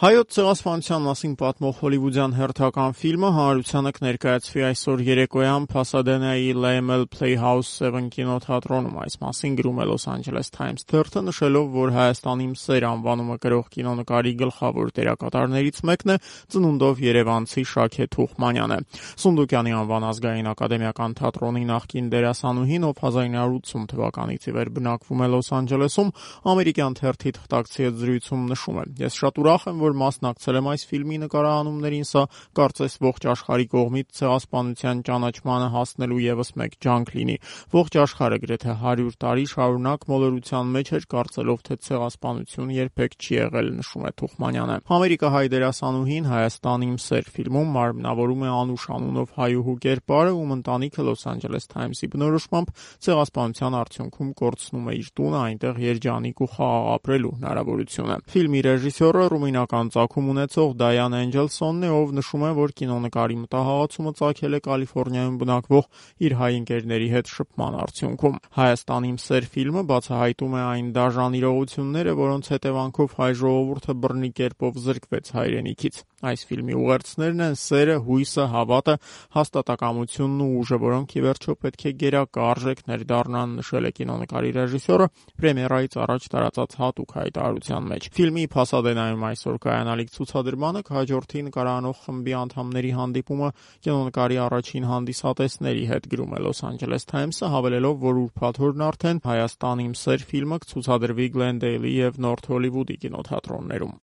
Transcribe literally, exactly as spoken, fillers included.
Հայոց ցեղասպանության մասին պատմող հոլիվուդյան հերթական ֆիլմը հանրությանը կներկայացվի այսօր երեկոյան Փասադենայի Laemmle Playhouse seven կինոթատրոնում։ Այս մասին գրում է Los Angeles Times թերթը, նշելով, որ Հայաստանի սեր անվանումը կրող կինոնկարի գլխավոր դերակատարներից մեկն է ծնունդով երևանցի Շաքե Թուխմանյանը։ Սունդուկյանի անվան ազգային ակադեմիական թատրոնի նախկին դերասանուհին, ով հազար նույնսուն ութ թվականից ի վեր բնակվում է Լոս Անջելեսում, ամերիկյան թերթի թղթակցի հետ զրույցում նշում է. «Ես շատ ուրախ եմ, որ մասնակցել եմ այս ֆիլմի նկարահանումներին, սա կարծես ողջ աշխարհի կողմից ցեղասպանության ճանաչմանը հասնելու եւս մեկ ջանք լինի։ Ողջ աշխարհը գրեթե հարյուր տարի շարունակ մոլորության մեջ էր, կարծելով, թե ցեղասպանություն երբեք չի եղել», նշում է Թուխմանյանը։ Ամերիկահայ դերասանուհին Հայաստանի սեր ֆիլմում մարմնավորում է Անուշ անունով հայուհու կերպարը, ում ընտանիքը Los Angeles Times-ի բնորոշմամբ ցեղասպանության արդյունքում կորցնում է իր տունը, այնտեղ երջանիկ ու խաղաղ ապրելու հնարավորությունը։ Ֆիլմի ռեժիսորը ռումինական ծագում ունեցող Դայան Էնջելսոնն է, ով նշում է, որ կինոնկարի մտահղացումը ծագել է Կալիֆոռնիայում բնակվող իր հայ ընկերների հետ շփման արդյունքում։ Հայաստանի սեր ֆիլմը բացահայտում է այն դաժան իրողությունները, որոնց հետևանքով հայ ժողովուրդը բռնի կերպով զրկվեց հայրենիքից։ Այս ֆիլմի ուղերձներն են սերը, հույսը, հավատը, հաստատակամությունն ու ուժը, որոնք ի վերջո պետք է գերակա արժեքներ դառնան, նշել է կինոնկարի ռեժիսորը պրեմիերայից առաջ տարածած հատուկ հայտարարության մեջ։ Ֆիլմի Փասադենայում այսօր կայանալիք ցուցադրմանը կհաջորդի նկարահանող խմբի անդամների հանդիպումը կինոնկարի առաջին հանդիսատեսների հետ, գրում է Los Angeles Times-ը, հավելելով, որ ուրբաթ օրն արդեն Հայաստանի սեր ֆիլմը կցուցադրվի Գլենդեյլի եւ Նորթ Հոլիվուդի կինոթատրոններում։